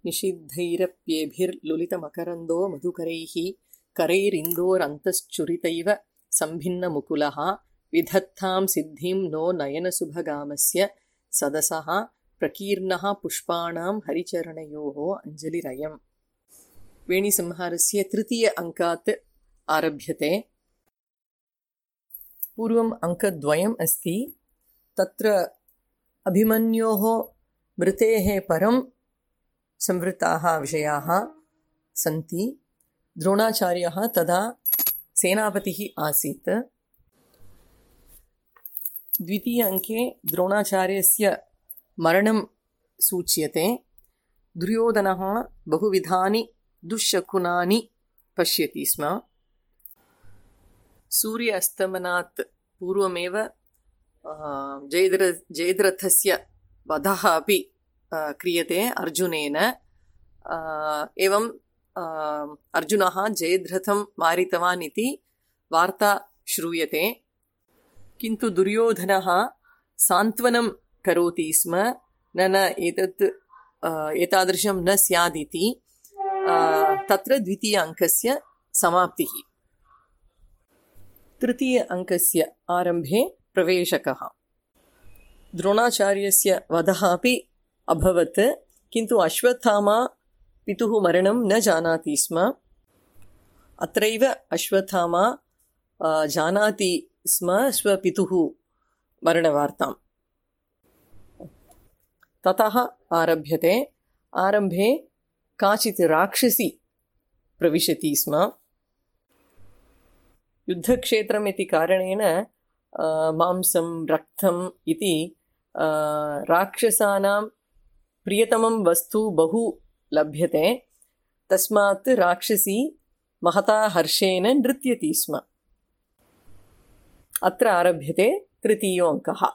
निषिद्धैरप्येभिर्लुलितमकरन्दो मधुकरैः करैरिन्दोरन्तश्चुरितैव सम्भिन्नमुकुलः विधत्तां सिद्धिं नो नयनसुभगामस्य सदसः प्रकीर्णः पुष्पाणां हरिचरणयोः अञ्जलिरयम्। वेणीसंहारस्य तृतीय अङ्कात् आरभ्यते। पूर्वम् अङ्कद्वयम् अस्ति। तत्र अभिमन्योः मृतेः परं संवृत्ताः विषयाः सन्ति। द्रोणाचार्यः तदा सेनापतिः आसीत्। द्वितीय अङ्के द्रोणाचार्यस्य मरणं सूच्यते। दुर्योधनः बहुविधानि दुःशकुनानि पश्यति स्म। सूर्य अस्तमनात् पूर्वमेव जयद्रथस्य वधः अपि क्रियते अर्जुनेन। एवं अर्जुनः जयद्रथं मारितवान् इति वार्ता श्रूयते। किन्तु दुर्योधनः सान्त्वनं करोति स्म, न एतादृशं न स्यादिति। तत्र द्वितीय अङ्कस्य समाप्तिः। तृतीय अङ्कस्य आरम्भे प्रवेशकः। द्रोणाचार्यस्य वधः अपि अभवत्, किन्तु अश्वत्थामा पितुः मरणं न जानाति स्म। अत्रैव अश्वत्थामा जानाति स्म स्वपितुः मरणवार्ताम्। ततः आरभ्यते। आरम्भे काचित् राक्षसी प्रविशति स्म। युद्धक्षेत्रम् इति कारणेन मांसं रक्तम् इति राक्षसानां प्रियतमं वस्तु बहु लभ्यते। तस्मात् राक्षसी महता हर्षेण नृत्यति स्म। अत्र आरभ्यते तृतीयो अङ्कः।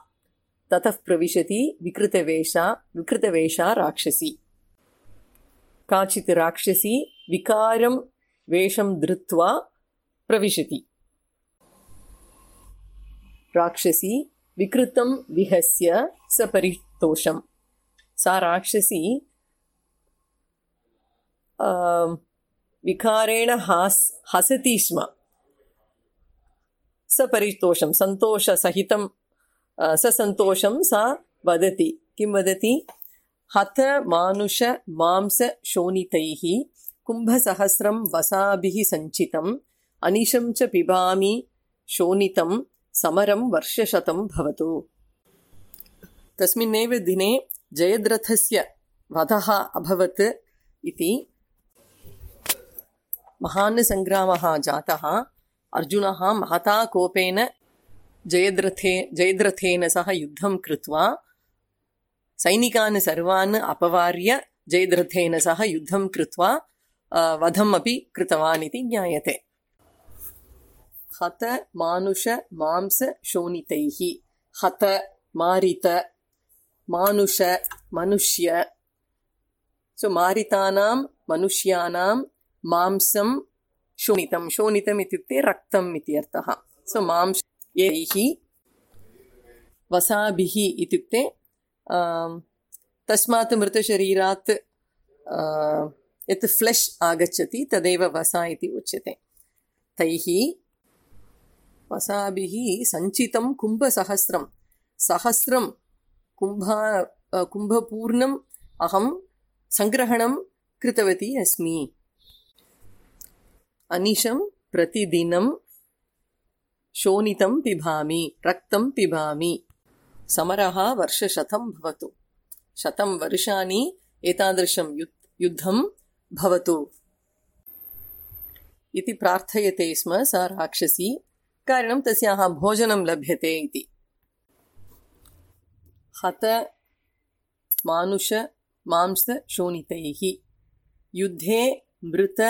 ततः प्रविशति विकृतवेषा राक्षसी। काचित् राक्षसी विकारं वेषं धृत्वा प्रविशति। राक्षसी विकृतं विहस्य सपरितोषम्। सा राक्षसी विकारेण हसति स्म। सपरितोषं सन्तोषसहितं ससन्तोषं सा वदति। किं वदति? हत मानुष मांस शोणितैः कुम्भसहस्रं वसाभिः सञ्चितम् अनिशं च पिबामि शोणितं समरं वर्षशतं भवतु। तस्मिन्नेव दिने जयद्रथस्य वधः अभवत् इति। महान् सङ्ग्रामः जातः। अर्जुनः महता कोपेन जयद्रथेन सह युद्धं कृत्वा सैनिकान् सर्वान् अपवार्य जयद्रथेन सह युद्धं कृत्वा वधम् अपि कृतवान् इति ज्ञायते। हत मानुष मांस शोणितैः। हत मारित, मानुष मनुष्य। सो मारितानां मनुष्याणां मांसं शोणितं। शोणितम् इत्युक्ते रक्तम् इति अर्थः। सो मांसैः वसाभिः इत्युक्ते तस्मात् मृतशरीरात् यत् फ्लेश् आगच्छति तदेव वसा इति उच्यते। तैः वसाभिः सञ्चितं कुम्भसहस्रं। सहस्रं कुम्भपूर्णम् अहं सङ्ग्रहणं कृतवती अस्मि। अनिशं प्रतिदिनं शोणितं पिबामि, रक्तं पिबामि। समरः वर्षशतं भवतु। 100 वर्षाणि एतादृशं युद्धं भवतु इति प्रार्थयते स्म सा राक्षसी। कारणं तस्याः भोजनं लभ्यते इति। हत मानुष मांस शोणितैः। युद्धे मृत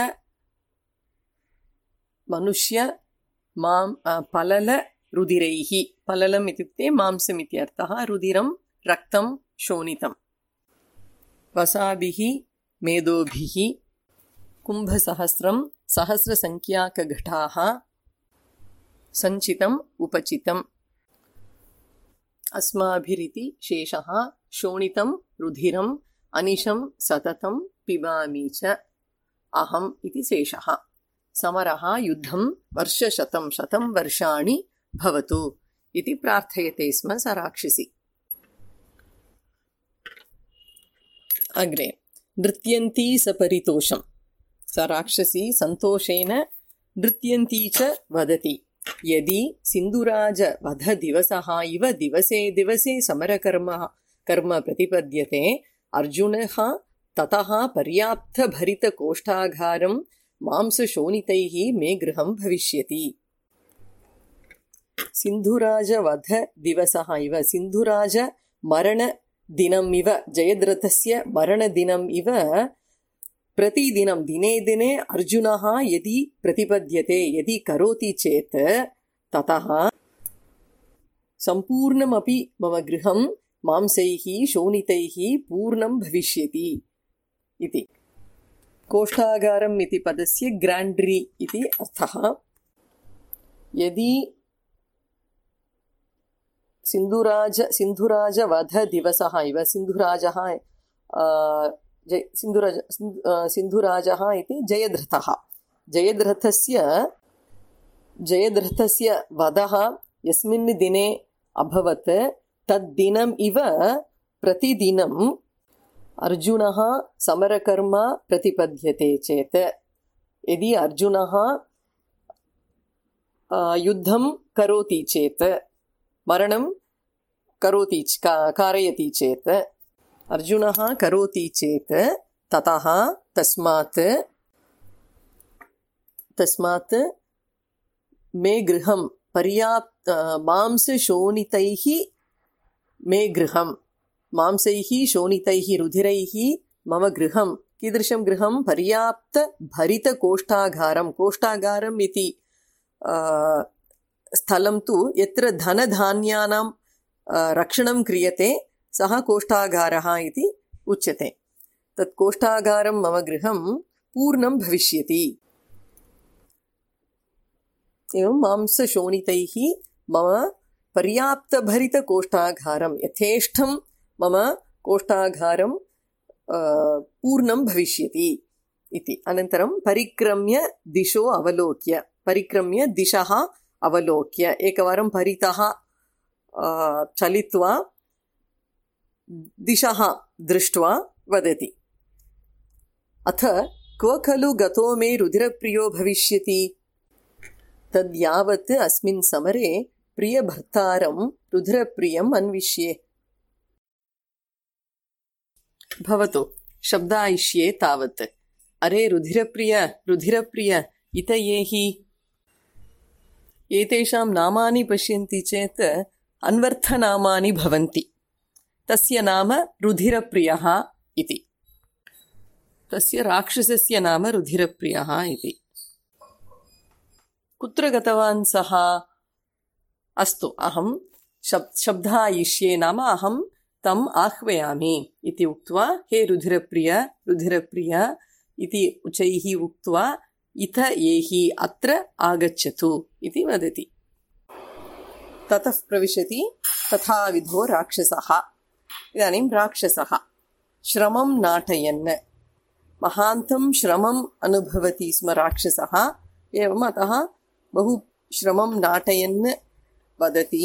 मनुष्य पलल रुधिरैः। पललम् इत्युक्ते मांसम् इति अर्थः। रुधिरं रक्तं शोणितं। वसाभिः मेदोभिः कुम्भसहस्रं सहस्रसङ्ख्याकघटाः सञ्चितम् उपचितम्। अस्माभिरिति शेषः। शोणितं रुधिरम् अनिशं सततं पिबामि च अहम् इति शेषः। समरः युद्धं वर्षशतं शतं वर्षाणि भवतु इति प्रार्थयते स्म स राक्षसी। अग्रे नृत्यन्ती सपरितोषं। स राक्षसी सन्तोषेण नृत्यन्ती च वदति यदि सिन्धुराजवधदिवसः इव दिवसे दिवसे समरकर्म प्रतिपद्यते अर्जुनः ततः पर्याप्तभरितकोष्ठागारं मांसशोणितैः मे गृहं भविष्यति। सिन्धुराजवधदिवसः इव सिन्धुराजमरणदिनम् इव जयद्रथस्य मरणदिनम् इव प्रतिदिनं दिने दिने अर्जुनः यदि प्रतिपद्यते यदि करोति चेत् ततः सम्पूर्णमपि मम गृहं मांसैः शोणितैः पूर्णं भविष्यति इति। कोष्ठागारम् इति पदस्य ग्राण्ड्री इति अर्थः। यदि सिन्धुराजवधदिवसः इव सिन्धुराजः इति जयद्रथः जयद्रथस्य वधः यस्मिन् दिने अभवत् तद्दिनम् इव प्रतिदिनम् अर्जुनः समरकर्म प्रतिपद्यते चेत् यदि अर्जुनः युद्धं करोति चेत् मरणं करोति कारयति चेत् अर्जुनः करोति चेत् ततः तस्मात् मे गृहं मांसशोणितैः मे गृहं मांसैः शोणितैः रुधिरैः मम गृहं कीदृशं गृहं पर्याप्तभरितकोष्ठागारं कोष्ठागारम् इति स्थलं तु यत्र धनधान्यानां रक्षणं क्रियते सः कोष्ठागारः इति उच्यते। तत् कोष्ठागारं मम गृहं पूर्णं भविष्यति। एवं मांसशोणितैः मम पर्याप्तभरितकोष्ठागारं यथेष्टं मम कोष्ठागारं पूर्णं भविष्यति इति। अनन्तरं परिक्रम्य दिशः अवलोक्य एकवारं परितः चलित्वा दिशः दृष्ट्वा वदति अथ क्व खलु गतो मे रुधिरप्रियो भविष्यति तद्यावत् अस्मिन् समरे प्रियभर्तारं रुधिरप्रियम् अन्विष्ये। भवतु शब्दायिष्ये तावत् अरे रुधिरप्रिय इतयेहि एतेषां नामानि पश्यन्ति चेत् अन्वर्थनामानि भवन्ति। तस्य नाम रुधिरप्रियः इति। तस्य राक्षसस्य नाम रुधिरप्रियः इति। कुत्र गतवान् सः? अस्तु अहं शब्दायिष्ये नाम अहं तम् आह्वयामि इति उक्त्वा हे रुधिरप्रिय इति उच्चैः उक्त्वा इथ एहि अत्र आगच्छतु इति वदति। ततः प्रविशति तथाविधो राक्षसः। इदानीं राक्षसः श्रमं नाटयन् महान्तं श्रमम् अनुभवति स्म राक्षसः। एवम् अतः बहु श्रमं नाटयन् वदति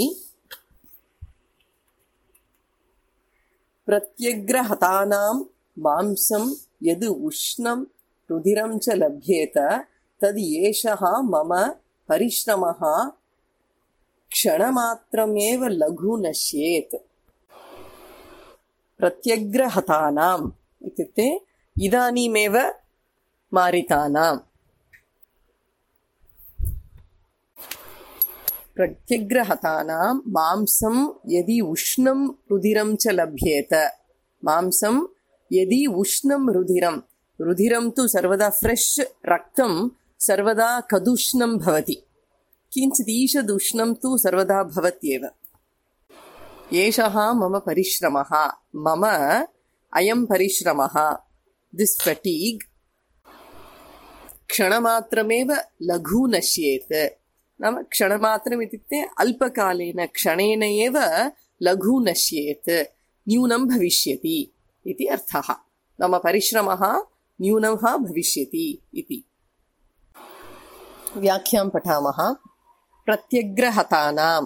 प्रत्यग्रहतानां मांसं यद् उष्णं रुधिरं च लभ्येत तद् एषः मम परिश्रमः क्षणमात्रमेव लघु नश्येत्। प्रत्यग्रहतानाम् इत्युक्ते इदानीमेव मारितानाम्। प्रत्यग्रहतानां मांसं यदि उष्णं रुधिरं च लभ्येत मांसं यदि उष्णं रुधिरं तु सर्वदा फ्रेश् रक्तं सर्वदा कदुष्णं भवति किञ्चित् ईषदुष्णं तु सर्वदा भवत्येव। एषः मम परिश्रमः मम अयं परिश्रमः दिस् फटीग् क्षणमात्रमेव लघु नश्येत्। नाम क्षणमात्रम् इत्युक्ते अल्पकालेन क्षणेन एव लघु नश्येत् न्यूनं भविष्यति इति अर्थः। नाम परिश्रमः न्यूनः भविष्यति इति। व्याख्यां पठामः। प्रत्यग्रहतानां,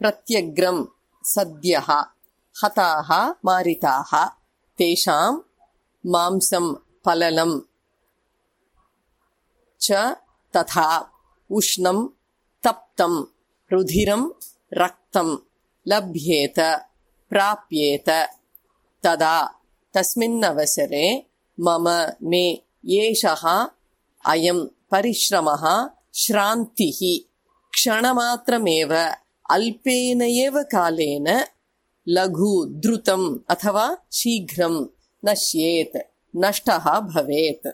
प्रत्यग्रं सद्यः, हताः मारिताः, तेषां मांसं पललं च तथा उष्णं तप्तं रुधिरं रक्तं लभ्येत प्राप्येत तदा तस्मिन्नवसरे मम मे एषः अयं परिश्रमः श्रान्तिः क्षणमात्रमेव अल्पेन एव कालेन लघु द्रुतम् अथवा शीघ्रं नश्येत् नष्टः भवेत्।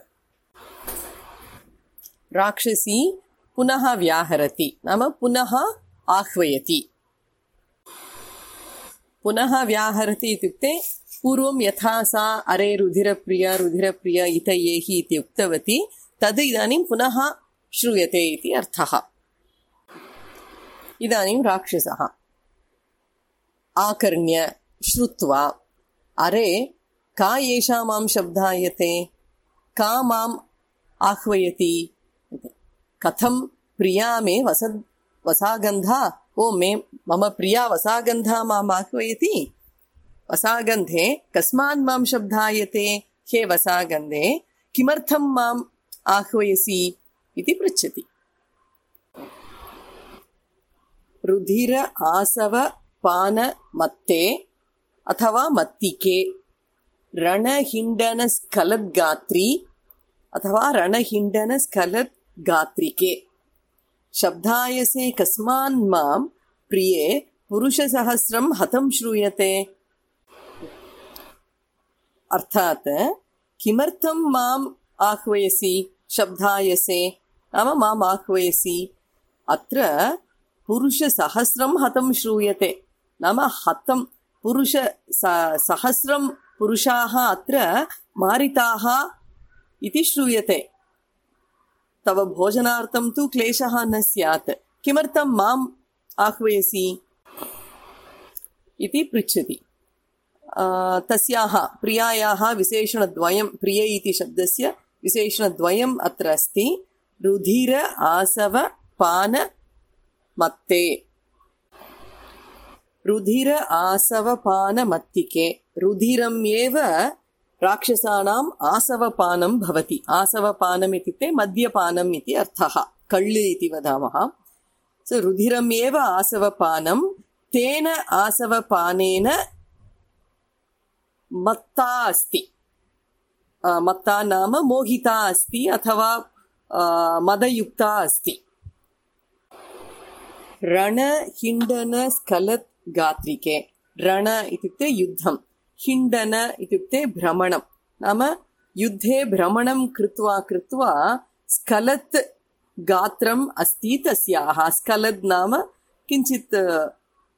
राक्षसी पुनः व्याहरति नाम पुनः आह्वयति। पुनः व्याहरति इत्युक्ते पूर्वं यथा सा अरे रुधिरप्रिय रुधिरप्रिय इतयेहि इति उक्तवती तद् इदानीं पुनः श्रूयते इति अर्थः। इदानीं राक्षसः आकर्ण्य श्रुत्वा अरे का एषा मां शब्दायते, का माम् आह्वयति, कथं प्रिया मे वसागन्धा, ओ मे मम प्रिया वसागन्धा माम् आह्वयति, वसागन्धे कस्मान् मां शब्दायते, हे वसागन्धे किमर्थं माम् आह्वयसि इति पृच्छति। रुधिर आसव पान मत्ते अथवा मत्तिके रणहिण्डनस्खलद्गात्री अथवा रणहिण्डनस्खलद्गात्रिके शब्दायसे कस्मान् मां प्रिये पुरुषसहस्रं हतं श्रूयते। अर्थात् किमर्थं माम् आह्वयसि शब्दायसे नाम माम् आह्वयसि, अत्र पुरुषसहस्रं हतं श्रूयते नाम हतं सहस्रं पुरुषाः अत्र मारिताः इति श्रूयते। तव भोजनार्थं तु क्लेशः न स्यात्, किमर्थं माम् आह्वयसि इति पृच्छति। तस्याः प्रियायाः विशेषणद्वयं, प्रिय इति शब्दस्य विशेषणद्वयम् अत्र अस्ति। रुधिर आसव पान मत्ते, रुधिर आसव पान मत्तिके, रुधिरम् एव राक्षसानाम् आसवपानं भवति। आसवपानम् इत्युक्ते मद्यपानम् इति अर्थः, कळ्ळु इति वदामः। सो रुधिरम् एव आसवपानं, तेन आसवपानेन मत्ता अस्ति, मत्ता नाम मोहिता अस्ति अथवा मदयुक्ता अस्ति। रणहिण्डनस्खलद्गात्रिके, रण इत्युक्ते युद्धं, हिण्डन इत्युक्ते भ्रमणं, नाम युद्धे भ्रमणं कृत्वा कृत्वा स्खलत् गात्रम् अस्ति तस्याः। स्खलद् नाम किञ्चित्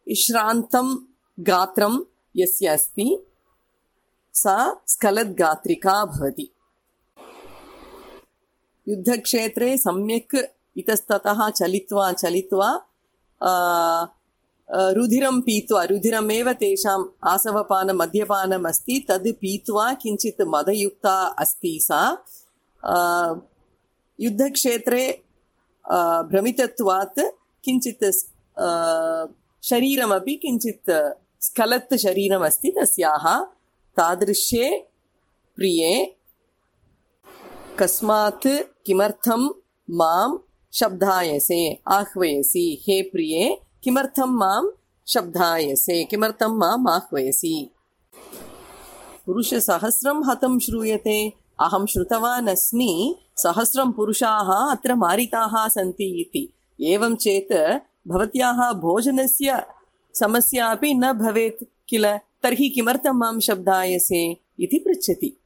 श्रान्तं गात्रं यस्य अस्ति सा स्खलद्गात्रिका भवति। युद्धक्षेत्रे सम्यक् इतस्ततः चलित्वा चलित्वा रुधिरं पीत्वा, रुधिरमेव तेषाम् आसवपानं मद्यपानम् अस्ति, तद् पीत्वा किञ्चित् मदयुक्ता अस्ति सा। युद्धक्षेत्रे भ्रमितत्वात् किञ्चित् शरीरमपि किञ्चित् स्खलत् शरीरमस्ति तस्याः। तादृशे प्रिये कस्मात् किमर्थं मां शब्दायसे आह्वयसि, हे प्रिये किमर्थं मां शब्दायसे, किमर्थं माम् आह्वयसि। पुरुषसहस्रं हतं श्रूयते, अहं श्रुतवान् अस्मि सहस्रं पुरुषाः अत्र मारिताः सन्ति इति। एवं चेत् भवत्याः भोजनस्य समस्या अपि न भवेत् किल, तर्हि किमर्थं मां शब्दायसे इति पृच्छति।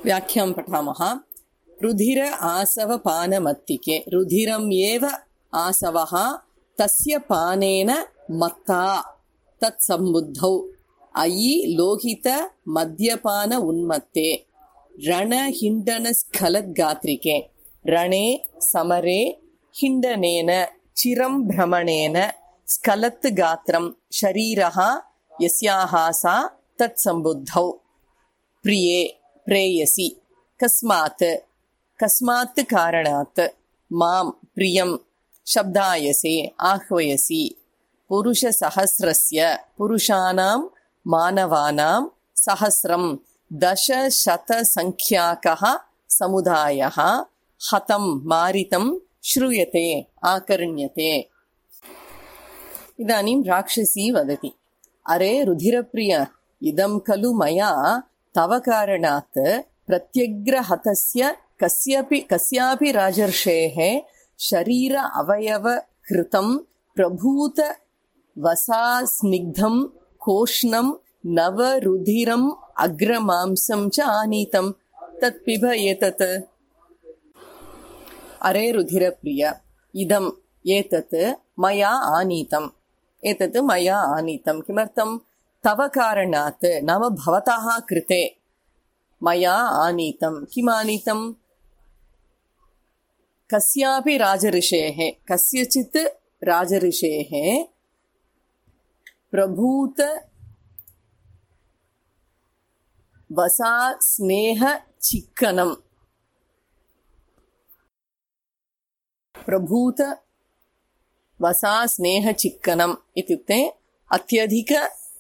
व्याख्यां पठामः। रुधिर आसव पानमत्तिके, रुधिरम् एव आसवः तस्य पानेन मत्ता तत्सम्बुद्धौ अयि लोहित मद्यपान उन्मत्ते रणहिण्डनस्खलद्गात्रिके, रणे समरे हिण्डनेन चिरं भ्रमणेन स्खलत् गात्रं शरीरः यस्याः सा तत्सम्बुद्धौ। प्रिये प्रेयसी कस्मात् कस्मात् कारणात् मां प्रियं शब्दायसे आह्वयसि पुरुषसहस्रस्य पुरुषाणां मानवानां सहस्रं दशशतसङ्ख्याकः समुदायः हतं मारितं श्रूयते आकर्ण्यते। इदानीं राक्षसी वदति अरे रुधिरप्रिय इदं खलु मया तव कारणात् प्रत्यग्रहतस्य कस्यापि राजर्षेः शरीर अवयवहृतं प्रभूत वसास्निग्धं कोष्णं नवरुधिरम् अग्रमांसं च आनीतं तत् पिब एतत्। अरे रुधिरप्रिय इदम् एतत् मया आनीतम् एतत् मया आनीतं किमर्थं तव कारणात् नाम भवतः कृते मया आनीतं किम् आनीतं कस्यापि राजऋषेः कस्यचित् राजऋषेः प्रभूत वसा स्नेह चिक्कनं प्रभूत वसा स्नेह चिक्कनम् इत्युक्ते अत्यधिक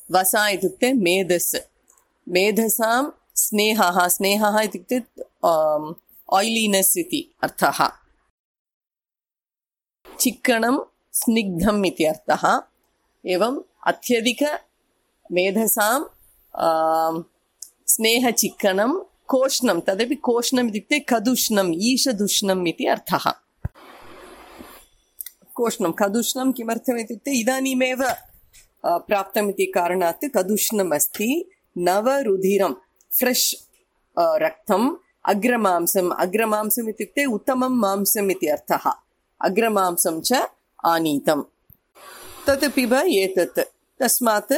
वसा इत्युक्ते मेधस् मेधसां स्नेहः स्नेहः इत्युक्ते ऑयलिनेस् इति अर्थः चिक्कणं स्निग्धम् इति अर्थः एवम् अत्यधिक मेधसां स्नेहचिक्कणं कोष्णं तदपि कोष्णम् इत्युक्ते कदुष्णम् ईशदुष्णम् इति अर्थः कोष्णं कदुष्णं किमर्थम् इत्युक्ते इदानीमेव प्राप्तम् इति कारणात् कदुष्णम् अस्ति नवरुधिरं फ्रेश् रक्तम् अग्रमांसम् अग्रमांसम् इत्युक्ते उत्तमं मांसम् इति अर्थः अग्रमांसं च आनीतम् तत् पिब एतत् तस्मात्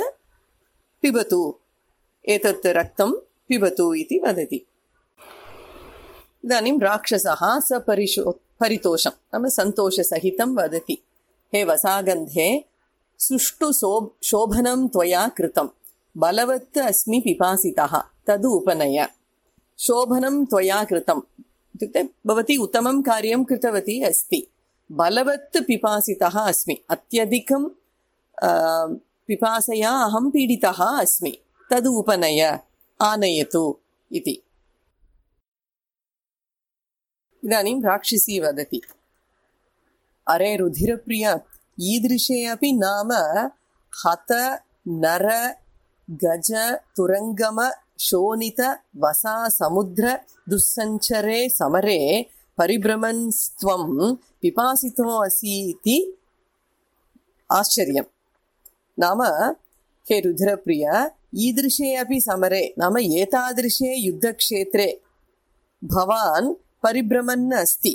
पिबतु एतत् रक्तं पिबतु इति वदति। इदानीं राक्षसः परितोषं नाम सन्तोषसहितं वदति हे वसागन्धे सुष्ठु शोभनं त्वया कृतं बलवत् अस्मि पिपासितः तदु उपनय शोभनं त्वया कृतम् इत्युक्ते भवती उत्तमं कार्यं कृतवती अस्ति बलवत् पिपासितः अस्मि अत्यधिकं पिपासया अहं पीडितः अस्मि तदु उपनय आनयतु इति। इदानीं राक्षसी वदति अरे रुधिरप्रिय ईदृशे अपि नाम हत नर गज तुरंगम शोणित वसा समुद्र दुस्सञ्चरे समरे परिभ्रमन्स्त्वं पिपासितो असि इति आश्चर्यम् नाम हे रुधिरप्रिय ईदृशे अपि समरे नाम एतादृशे युद्धक्षेत्रे भवान् परिभ्रमन् अस्ति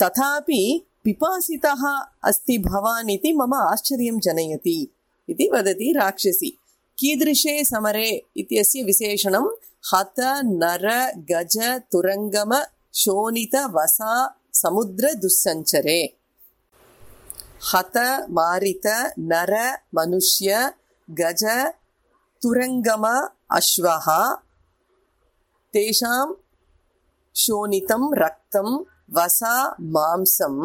तथापि पिपासितः अस्ति भवान् इति मम आश्चर्यं जनयति इति वदति राक्षसी। कीदृशे समरे इत्यस्य विशेषणं हत नर गज तुरंगम शोणित वसा समुद्र दुस्सञ्चरे हत मारित नर मनुष्य गज तुरंगम अश्वः तेषां शोणितं रक्तं वसा मांसम्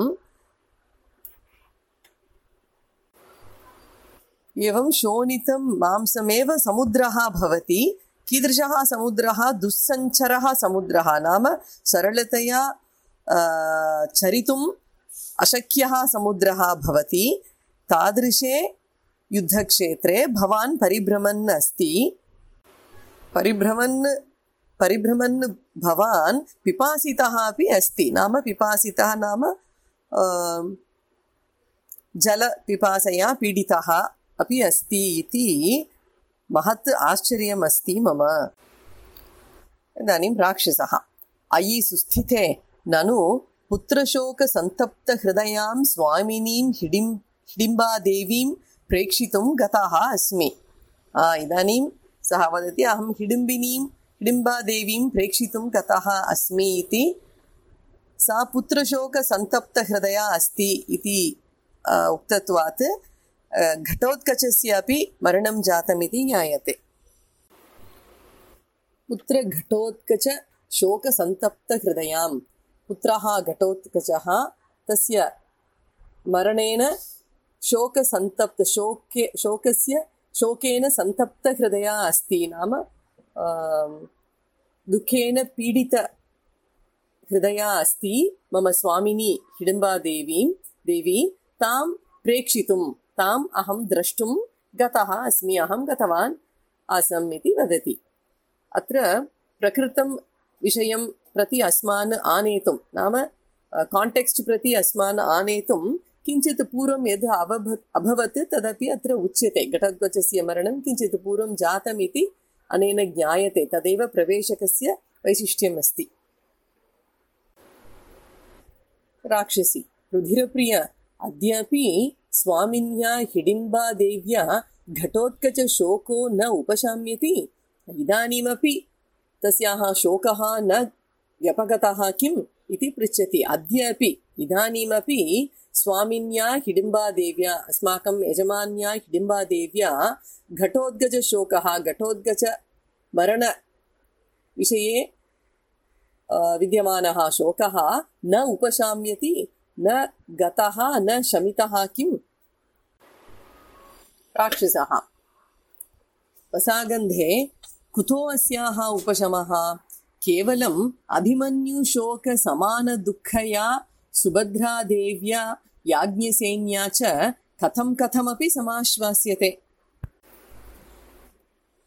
एवं शोणितं मांसमेव समुद्रः भवति। कीदृशः समुद्रः दुस्सञ्चरः समुद्रः नाम सरलतया चरितुम् अशक्यः समुद्रः भवति। तादृशे युद्धक्षेत्रे भवान् परिभ्रमन् अस्ति परिभ्रमन् भवान् पिपासितः अपि अस्ति नाम पिपासितः नाम जलपिपासया पीडितः अपि अस्ति इति महत् आश्चर्यम् अस्ति मम। इदानीं राक्षसः अयि सुस्थिते ननु पुत्रशोकसन्तप्तहृदयां स्वामिनीं हिडिम्बादेवीं प्रेक्षितुं गतः अस्मि। इदानीं सः वदति अहं हिडिम्बादेवीं प्रेक्षितुं गतः अस्मि इति। सा पुत्रशोकसन्तप्तहृदया अस्ति इति उक्तत्वात् घटोत्कचस्य अपि मरणं जातमिति ज्ञायते। पुत्रघटोत्कच शोकसन्तप्तहृदयां। पुत्रः घटोत्कचः तस्य मरणेन शोकेन सन्तप्तहृदया अस्ति, नाम दुःखेन पीडितहृदया अस्ति। मम स्वामिनी हिडिम्बादेवी तां प्रेक्षितुं, ताम् अहं द्रष्टुं गतः अस्मि, अहं गतवान् आसम् इति वदति। अत्र प्रकृतं विषयं प्रति अस्मान् आनेतुं, नाम काण्टेक्स्ट् प्रति अस्मान् आनेतुं किञ्चित् पूर्वं यद् अभवत् तदपि अत्र उच्यते। घटोत्कचस्य मरणं किञ्चित् पूर्वं जातमिति अनेन ज्ञायते। तदेव प्रवेशकस्य वैशिष्ट्यम् अस्ति। राक्षसी रुधिरप्रिय, अद्यापि स्वामिन्या हिडिम्बादेव्या घटोत्कचशोको न उपशाम्यति। इदानीमपि तस्याः शोकः न व्यपगतः किम् इति पृच्छति। अद्यापि इदानीमपि स्वामिन्या हिडिम्बादेव्या, अस्माकं यजमान्या हिडिम्बादेव्या घटोत्कचशोकः, घटोत्कचमरणविषये विद्यमानः शोकः न उपशाम्यति, न गतः, न शमितः किम्? राक्षसः वसागन्धे, कुतो अस्याः उपशमः? केवलम् अभिमन्युशोकसमानदुःखया सुभद्रादेव्या याज्ञसेन्या च कथमपि समाश्वास्यते।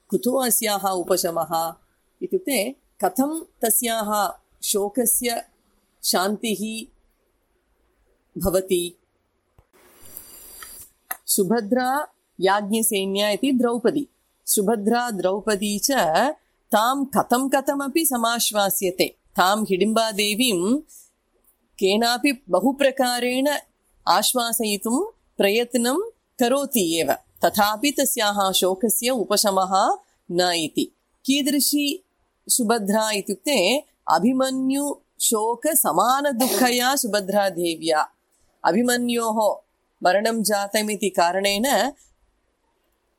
कुतो अस्याः उपशमः इत्युक्ते कथं तस्याः शोकस्य शान्तिः भवति? सुभद्रा याज्ञसेन्या इति द्रौपदी, सुभद्रा द्रौपदी च तां कथमपि समाश्वास्यते। तां हिडिम्बादेवीं केनापि बहुप्रकारेण आश्वासयितुं प्रयत्नं करोति एव, तथापि तस्याः शोकस्य उपशमः न इति। कीदृशी सुभद्रा इत्युक्ते अभिमन्युशोकसमानदुःखया सुभद्रादेव्या, अभिमन्योः मरणं जातमिति कारणेन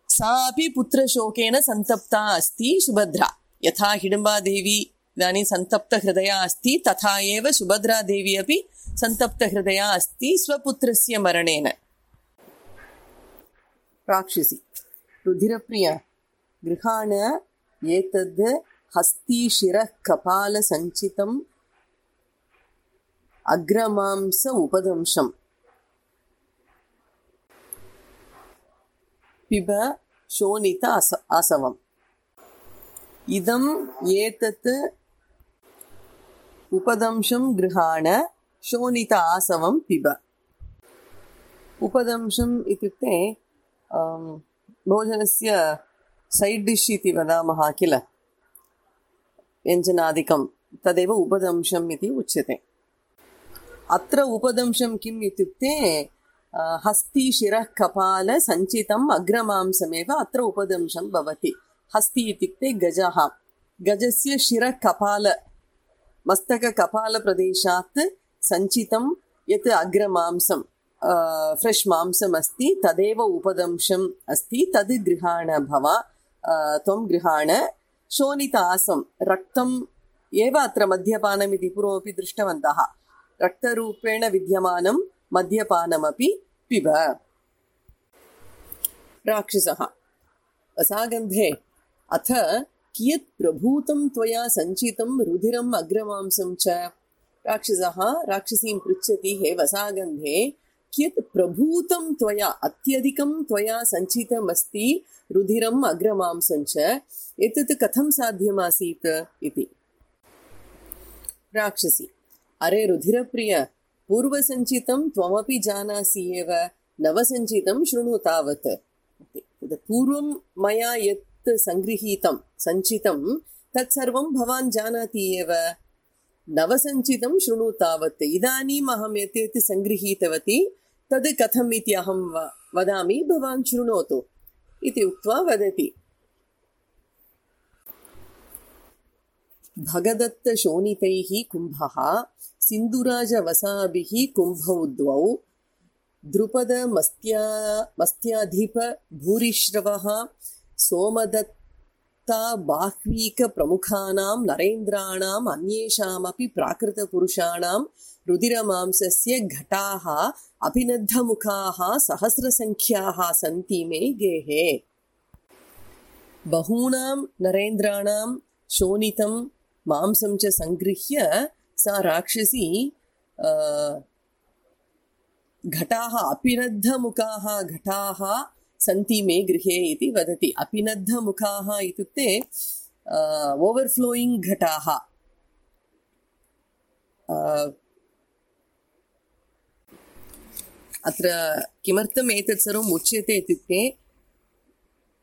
सा अपि पुत्रशोकेन सन्तप्ता अस्ति सुभद्रा। यथा हिडिम्बादेवी इदानीं सन्तप्तहृदया अस्ति, तथा एव सुभद्रादेवी अपि सन्तप्तहृदया अस्ति स्वपुत्रस्य मरणेन। राक्षसी रुधिरप्रिय, गृहाण एतद् हस्तीशिरः कपालसञ्चितम् अग्रमांस उपदंशम् पिब शोणित आसवम्। इदम् एतत् उपदंशं गृहाण शोणित आसवं पिब। उपदंशम् इत्युक्ते भोजनस्य सैड् डिश् इति वदामः किल, व्यञ्जनादिकं, तदेव उपदंशम् इति उच्यते। अत्र उपदंशं किम् इत्युक्ते हस्तीशिरः कपाल सञ्चितम् अग्रमांसमेव अत्र उपदंशं भवति। हस्ति इत्युक्ते गजः, गजस्य शिरः कपाल मस्तककपालप्रदेशात् सञ्चितं यत् अग्रमांसं फ्रेश् मांसम् अस्ति, तदेव उपदंशम् अस्ति। तद् गृहाण भव, त्वं गृहाण। शोणितासं रक्तम् एव अत्र मद्यपानमिति पूर्वमपि दृष्टवन्तः। रक्तरूपेण विद्यमानं मद्यपानमपि पिब। राक्षसः वसागन्धे, अथ कियत् प्रभूतं त्वया सञ्चितं रुधिरम् अग्रमांसं च? राक्षसः राक्षसीं पृच्छति, हे वसागन्धे, कियत् प्रभूतं त्वया, अत्यधिकं त्वया सञ्चितमस्ति रुधिरम् अग्रमांसं च, एतत् कथं साध्यमासीत् इति। राक्षसी, अरे रुधिरप्रिय, पूर्वसञ्चितं त्वमपि जानासि एव, नवसञ्चितं शृणु तावत्। पूर्वं मया यत् सङ्गृहीतं सञ्चितं तत्सर्वं भवान् जानाति एव, नवसञ्चितं शृणु तावत्। इदानीम् अहं यत् यत् सङ्गृहीतवती तद् कथम् इति अहं वदामि, भवान् शृणोतु इति उक्त्वा वदति। भगदत्तशोणितैः कुम्भः सिन्धुराजवसाभिः कुम्भौ द्वौ द्रुपदमस्त्याधिप भूरिश्रवः भगवदत्ता बाह्वीकप्रमुखानां नरेन्द्राणाम् अन्येषामपि प्राकृतपुरुषाणां रुधिरमांसस्य घटाः अभिनद्धमुखाः सहस्रसङ्ख्याः सन्ति मे गेहे। बहूनां नरेन्द्राणां शोणितं मांसं च सङ्गृह्य सा राक्षसी घटाः अपिनद्धमुखाः घटाः सन्ति मे गृहे इति वदति। अपिनद्धमुखाः इत्युक्ते ओवर्फ्लोयिङ्ग् घटाः। अत्र किमर्थम् एतत् सर्वम् उच्यते इत्युक्ते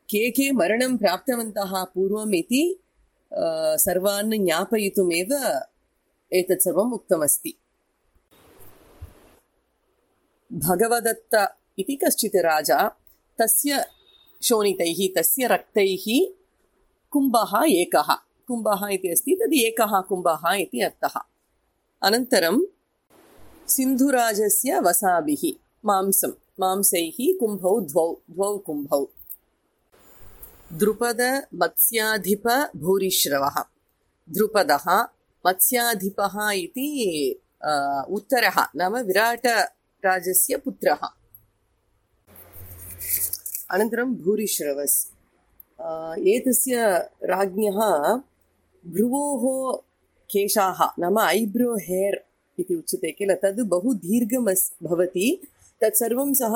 के मरणं प्राप्तवन्तः पूर्वम् इति सर्वान् ज्ञापयितुमेव एतत् सर्वम् उक्तमस्ति। भगवदत्त इति कश्चित् राजा, तस्य शोणितैः तस्य रक्तैः कुम्भः एकः, कुम्भः इति अस्ति, तद् एकः कुम्भः इति अर्थः। अनन्तरं सिन्धुराजस्य वसाभिः मांसैः कुम्भौ द्वौ कुम्भौ। द्रुपद मत्स्याधिप भूरिश्रवः। द्रुपदः मत्स्याधिपः इति उत्तरः, नाम विराटराजस्य पुत्रः। अनन्तरं भूरिश्रवस्, एतस्य राज्ञः भ्रुवोः केशाः नाम ऐब्रो हेर् इति उच्यते किल, तद् बहु दीर्घम् भवति। तत्सर्वं सः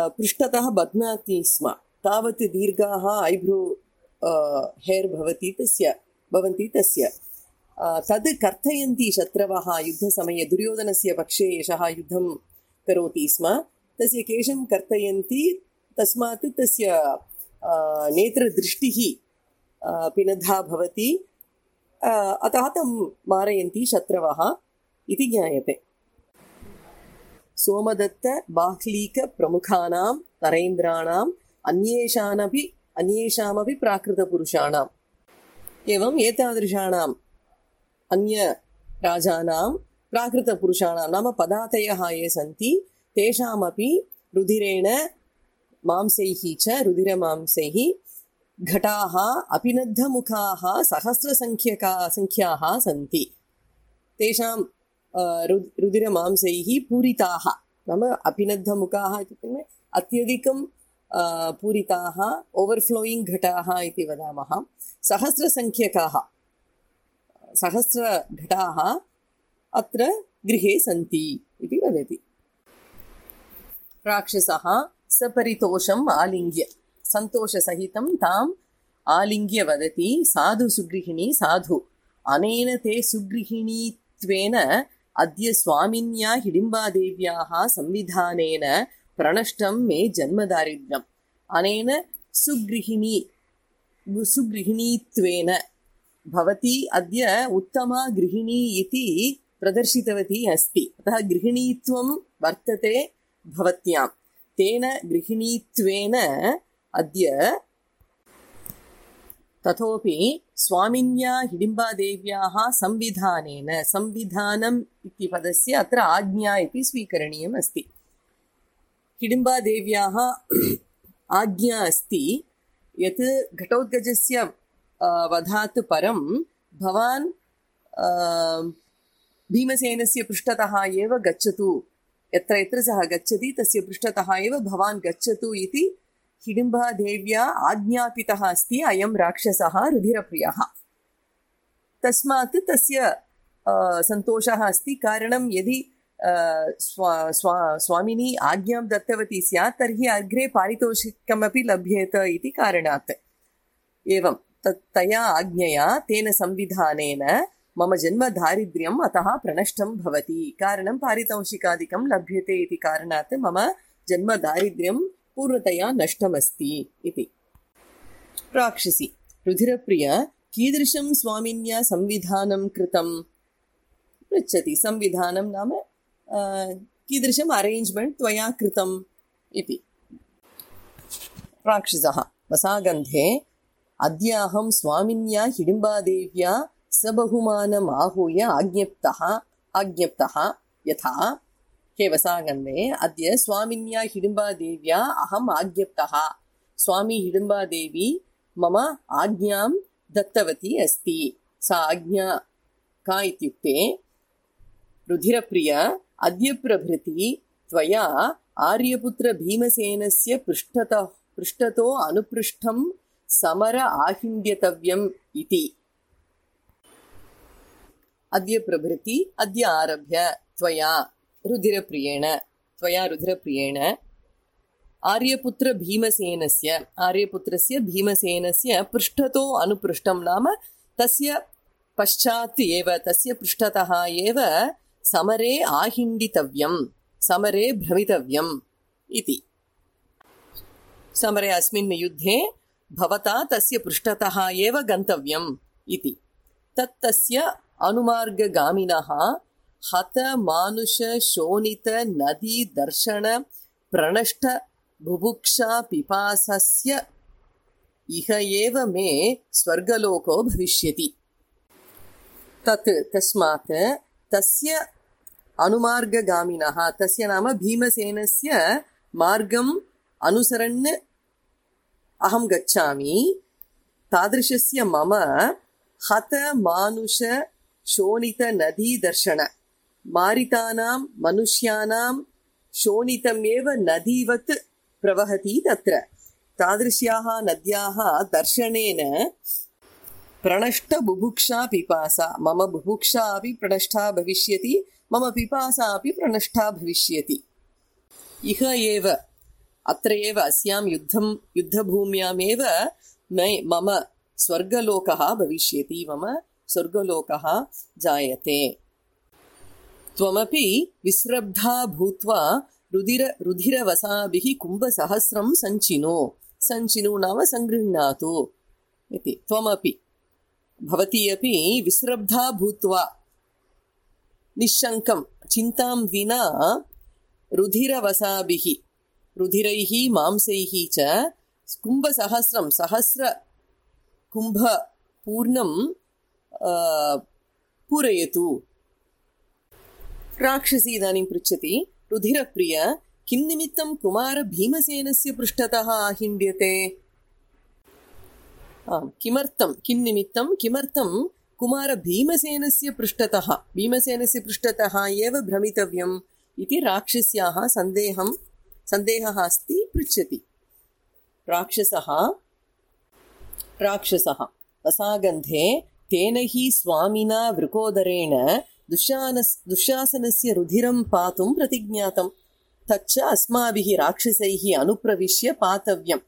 पृष्ठतः बध्नाति स्म, तावत् दीर्घाः ऐब्रो हेर् भवन्ति तस्य। तद् कर्तयन्ति शत्रवः युद्धसमये। दुर्योधनस्य पक्षे एषः युद्धं करोति स्म, तस्य केशं कर्तयन्ति, तस्मात् तस्य नेत्रदृष्टिः पिनद्धा भवति, अतः तं मारयन्ति शत्रवः इति ज्ञायते। सोमदत्त बाह्लीकप्रमुखानां नरेन्द्राणाम् अन्येषामपि प्राकृतपुरुषाणाम्। एवम् एतादृशाणाम् अन्यराजानां प्राकृतपुरुषाणां नाम पदातयः ये सन्ति तेषामपि रुधिरेण मांसैः च रुधिरमांसैः घटाः अपिनद्धमुखाः सहस्रसङ्ख्याः सन्ति। तेषां रुधिरमांसैः पूरिताः, नाम अपिनद्धमुखाः इत्युक्ते अत्यधिकं पूरिताः ओवर्फ्लोयिङ्ग् घटाः इति वदामः। सहस्रघटाः अत्र गृहे सन्ति इति वदति। राक्षसः सपरितोषम् आलिङ्ग्य सन्तोषसहितं ताम् आलिङ्ग्य वदति, साधु सुगृहिणी साधु, अनेन ते सुगृहिणीत्वेन अद्य स्वामिन्या हिडिम्बादेव्याः संविधानेन प्रणष्टं मे जन्मदारिद्र्यम्। अनेन सुगृहिणीत्वेन भवती अद्य उत्तमा गृहिणी इति प्रदर्शितवती अस्ति, अतः गृहिणीत्वं वर्तते भवत्यां। तेन गृहिणीत्वेन अद्य तथोपि स्वामिन्या हिडिम्बादेव्याः संविधानेन, संविधानम् इति पदस्य अत्र आज्ञा इति स्वीकरणीयम् अस्ति। हिडिम्बादेव्याः आज्ञा अस्ति यत् घटोत्कचस्य वधात् परं भवान् भीमसेनस्य पृष्ठतः एव गच्छतु, यत्र यत्र सः गच्छति तस्य पृष्ठतः एव भवान् गच्छतु इति हिडिम्बादेव्या आज्ञापितः अस्ति अयं राक्षसः रुधिरप्रियः। तस्मात् तस्य सन्तोषः अस्ति, कारणं यदि स्वामिनी आज्ञां दत्तवती स्यात् तर्हि अग्रे पारितोषिकमपि लभ्येत इति कारणात्। एवं तया आज्ञया तेन संविधानेन मम जन्मदारिद्र्यम् अतः प्रणष्टं भवति, कारणं पारितोषिकादिकं लभ्यते इति कारणात् मम जन्मदारिद्र्यं पूर्णतया नष्टमस्ति इति। राक्षसी रुधिरप्रिय कीदृशं स्वामिन्या संविधानं कृतं पृच्छति। संविधानं नाम कीदृशम् अरेञ्ज्मेण्ट् त्वया कृतम् इति। राक्षसः वसागन्धे अद्य अहं स्वामिन्या हिडिम्बादेव्या सबहुमानम् आहूय आज्ञप्तः यथा हे वसागन्धे अद्य स्वामिन्या हिडिम्बादेव्या अहम् आज्ञप्तः। स्वामी हिडिम्बादेवी मम आज्ञां दत्तवती अस्ति। सा आज्ञा का इत्युक्ते रुधिरप्रिय अद्य प्रभृति त्वया आर्यपुत्र भीमसेनस्य पृष्ठतो अनुपृष्ठं समर आहिन्द्यतव्यम् इति। अद्य प्रभृति अद्य आरभ्य त्वया रुधिरप्रियेण आर्यपुत्र भीमसेनस्य पृष्ठतो अनुपृष्ठं नाम तस्य पश्चात् एव तस्य पृष्ठतः एव समरे आहिण्डितव्यं समरे भ्रमितव्यम् इति। समरे अस्मिन् युद्धे भवता तस्य पृष्ठतः एव गन्तव्यम् इति। तस्य अनुमार्गगामिनः हत मानुष शोणित नदी दर्शन प्रणष्ट बुभुक्षा पिपासस्य इह एव मे स्वर्गलोको भविष्यति। तस्मात् तस्य अनुमार्गगामिनः तस्य नाम भीमसेनस्य मार्गम् अनुसरन् अहं गच्छामि। तादृशस्य मम हत मानुष शोणित नदी दर्शन मारितानां मनुष्याणां शोणितमेव नदीवत् प्रवहति तत्र। तादृश्याः नद्याः दर्शनेन प्रणष्ट बुभुक्षा पिपासा मम बुभुक्षा अपि प्रणष्टा भविष्यति मम पिपासा अपि प्रणष्टा भविष्यति। इह एव अत्र एव अस्यां युद्धभूम्यामेव मम स्वर्गलोकः भविष्यति मम स्वर्गलोकः जायते। त्वमपि विस्रब्धा भूत्वा रुधिरवसाभिः कुम्भसहस्रं सञ्चिनु नाम सङ्गृह्णातु इति। त्वमपि भवती अपि विस्रब्धा भूत्वा निश्शङ्कं चिन्तां विना रुधिरवसाभिः रुधिरैः मांसैः च कुम्भसहस्रं सहस्र कुम्भपूर्णं पूरयतु। राक्षसी इदानीं पृच्छति रुधिरप्रिय किन्निमित्तं कुमारभीमसेनस्य पृष्ठतः आहिण्ड्यते? किमर्थं कुमारभीमसेनस्य पृष्ठतः एव भ्रमितव्यम् इति राक्षस्याः सन्देहः अस्ति पृच्छति। राक्षसः वसागन्धे तेन हि स्वामिना वृकोदरेण दुःशासनस्य रुधिरं पातुं प्रतिज्ञातं। तच्च अस्माभिः राक्षसैः अनुप्रविश्य पातव्यम्।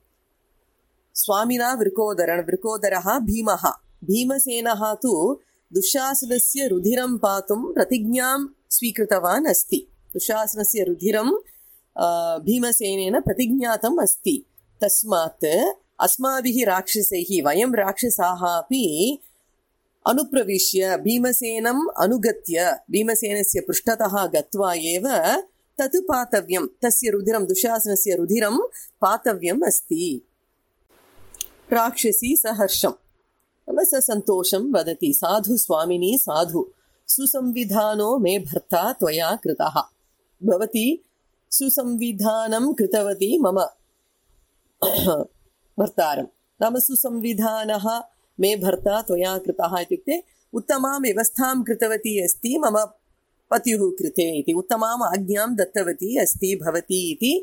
स्वामिना वृकोदरः भीमः भीमसेनः तु दुःशासनस्य रुधिरं पातुं प्रतिज्ञां स्वीकृतवान् अस्ति। दुःशासनस्य रुधिरं भीमसेनेन प्रतिज्ञातम् अस्ति। तस्मात् अस्माभिः राक्षसैः वयं राक्षसाः अपि अनुप्रविश्य भीमसेनम् अनुगत्य भीमसेनस्य पृष्ठतः गत्वा एव तत् पातव्यं तस्य रुधिरं दुःशासनस्य रुधिरं पातव्यम् अस्ति। राक्षसी सहर्षं सन्तोषं वदति साधु स्वामिनी साधु सुसंविधानो मे भर्ता त्वया कृतः। भवती सुसंविधानं कृतवती मम भर्तारं नाम सुसंविधानः मे भर्ता त्वया कृतः इत्युक्ते उत्तमां व्यवस्थां कृतवती अस्ति मम पत्युः कृते इति उत्तमाम् आज्ञां दत्तवती अस्ति भवती इति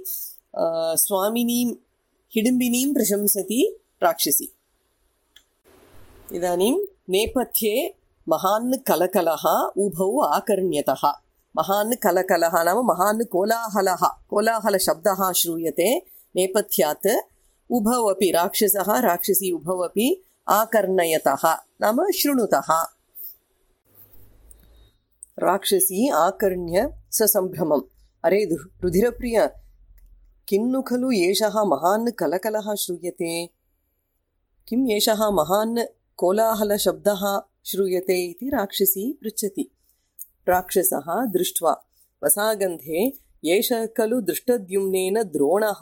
स्वामिनीं हिडिम्बिनीं प्रशंसति राक्षसी। इदानीं नेपथ्ये महान् कलकलः उभौ आकर्ण्यतः। महान् कलकलः नाम महान् कोलाहलशब्दः श्रूयते नेपथ्यात्। उभौ अपि राक्षसः राक्षसी उभौ अपि आकर्णयतः नाम शृणुतः। राक्षसी आकर्ण्य ससम्भ्रमम् अरे रुधिरप्रिय किन्नु खलु एषः महान् कलकलः श्रूयते? किम् एषः महान् कोलाहलशब्दः श्रूयते इति राक्षसी पृच्छति। राक्षसः दृष्ट्वा वसागन्धे एषः खलु दृष्टद्युम्नेन द्रोणः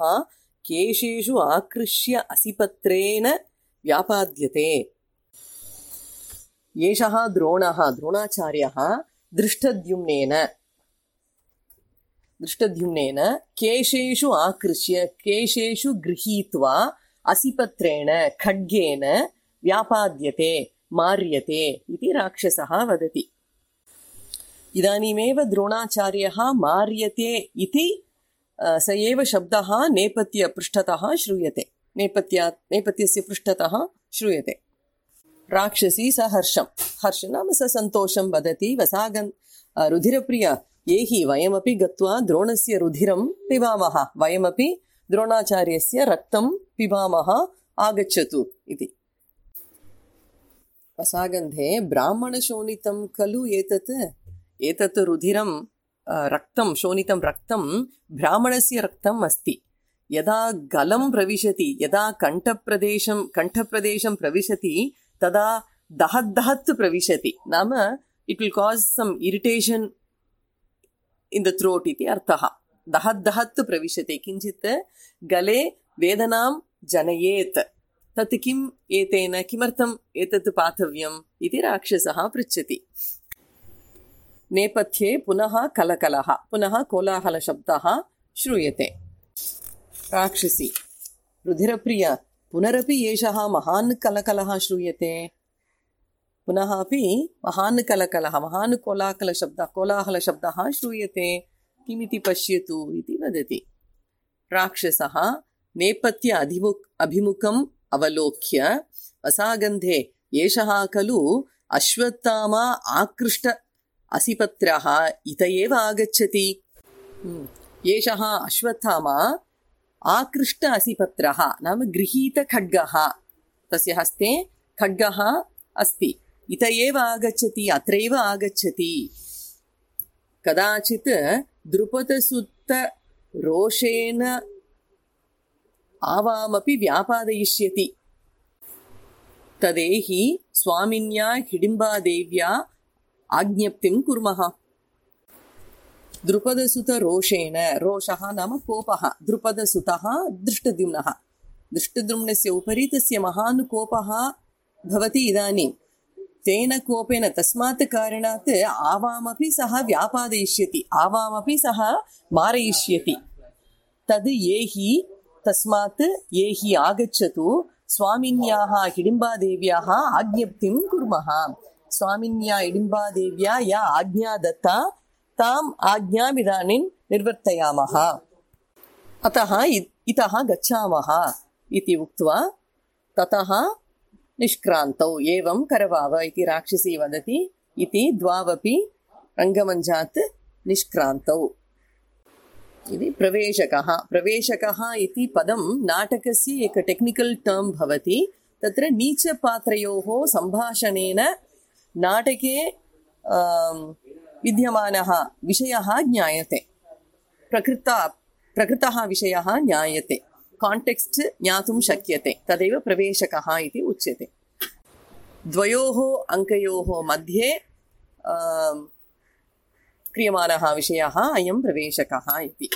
केशेषु आकृष्य असिपत्रेण व्यापाद्यते। एषः द्रोणाचार्यः दृष्टद्युम्नेन केशेषु आकृष्य केशेषु गृहीत्वा असिपत्रेण खड्गेन व्यापाद्यते मार्यते इति राक्षसः वदति। इदानीमेव द्रोणाचार्यः मार्यते इति स एव शब्दः नेपथ्यपृष्ठतः श्रूयते, नेपथ्यस्य पृष्ठतः श्रूयते। राक्षसी स हर्ष नाम स सन्तोषं वदति। रुधिरप्रिय एहि वयमपि गत्वा द्रोणस्य रुधिरं पिबामः, वयमपि द्रोणाचार्यस्य रक्तं पिबामः, आगच्छतु इति। वसागन्धे ब्राह्मणशोणितं खलु एतत् रुधिरं रक्तं, शोणितं रक्तं ब्राह्मणस्य रक्तम् अस्ति। यदा गलं प्रविशति, यदा कण्ठप्रदेशं प्रविशति तदा दहद् प्रविशति, नाम it will cause some irritation in the throat इति अर्थः। दहद् प्रविशति, किञ्चित् गले वेदनां जनयेत्। तत् किम् एतेन, किमर्थम् एतत् पातव्यम् इति राक्षसः पृच्छति। नेपथ्ये पुनः कलकलः, पुनः कोलाहलशब्दः श्रूयते। राक्षसी रुधिरप्रिय पुनरपि एषः महान् कलकलः श्रूयते। पुनः अपि महान् कलकलः, महान् कोलाहलशब्दः श्रूयते, किमिति पश्यतु इति वदति। राक्षसः नेपथ्य अभिमुखम् अवलोक्य वसागन्धे एषः खलु अश्वत्थामा आकृष्ट असिपत्रः इत एव आगच्छति। एषः अश्वत्थामा आकृष्ट असिपत्रः नाम गृहीत खड्गः, तस्य हस्ते खड्गः अस्ति, इत एव आगच्छति, अत्रैव आगच्छति। कदाचित् द्रुपदसुत रोषेण आवामपि व्यापादयिष्यति, तदेहि स्वामिन्या हिडिम्बादेव्या आज्ञप्तिं कुर्मः। द्रुपदसुत रोषेण, रोषः नाम कोपः, द्रुपदसुतः दृष्टद्युम्नः, दृष्टद्युम्नस्य उपरि तस्य महान् कोपः भवति इदानीं। तेन कोपेन, तस्मात् कारणात् आवामपि सः व्यापादयिष्यति, आवामपि सः मारयिष्यति। तद् येहि, तस्मात् येहि आगच्छतु, स्वामिन्याः हिडिम्बादेव्याः आज्ञप्तिं कुर्मः। स्वामिन्या हिडिम्बादेव्या या आज्ञा दत्ता ताम् आज्ञाम् इदानीं निर्वर्तयामः, अतः इतः गच्छामः इति उक्त्वा ततः निष्क्रान्तौ। एवं करवाव इति राक्षसी वदति। इति द्वावपि रङ्गमञ्चात् निष्क्रान्तौ। इति प्रवेशकः इति पदं नाटकस्य एक टेक्निकल् टर्म् भवति। तत्र नीचपात्रयोः सम्भाषणेन नाटके विद्यमानः विषयः ज्ञायते, प्रकृतः विषयः ज्ञायते, काण्टेक्स्ट् ज्ञातुं शक्यते, तदेव प्रवेशकः इति उच्यते। द्वयोः अङ्कयोः मध्ये क्रियमाणः विषयः अयं प्रवेशकः इति।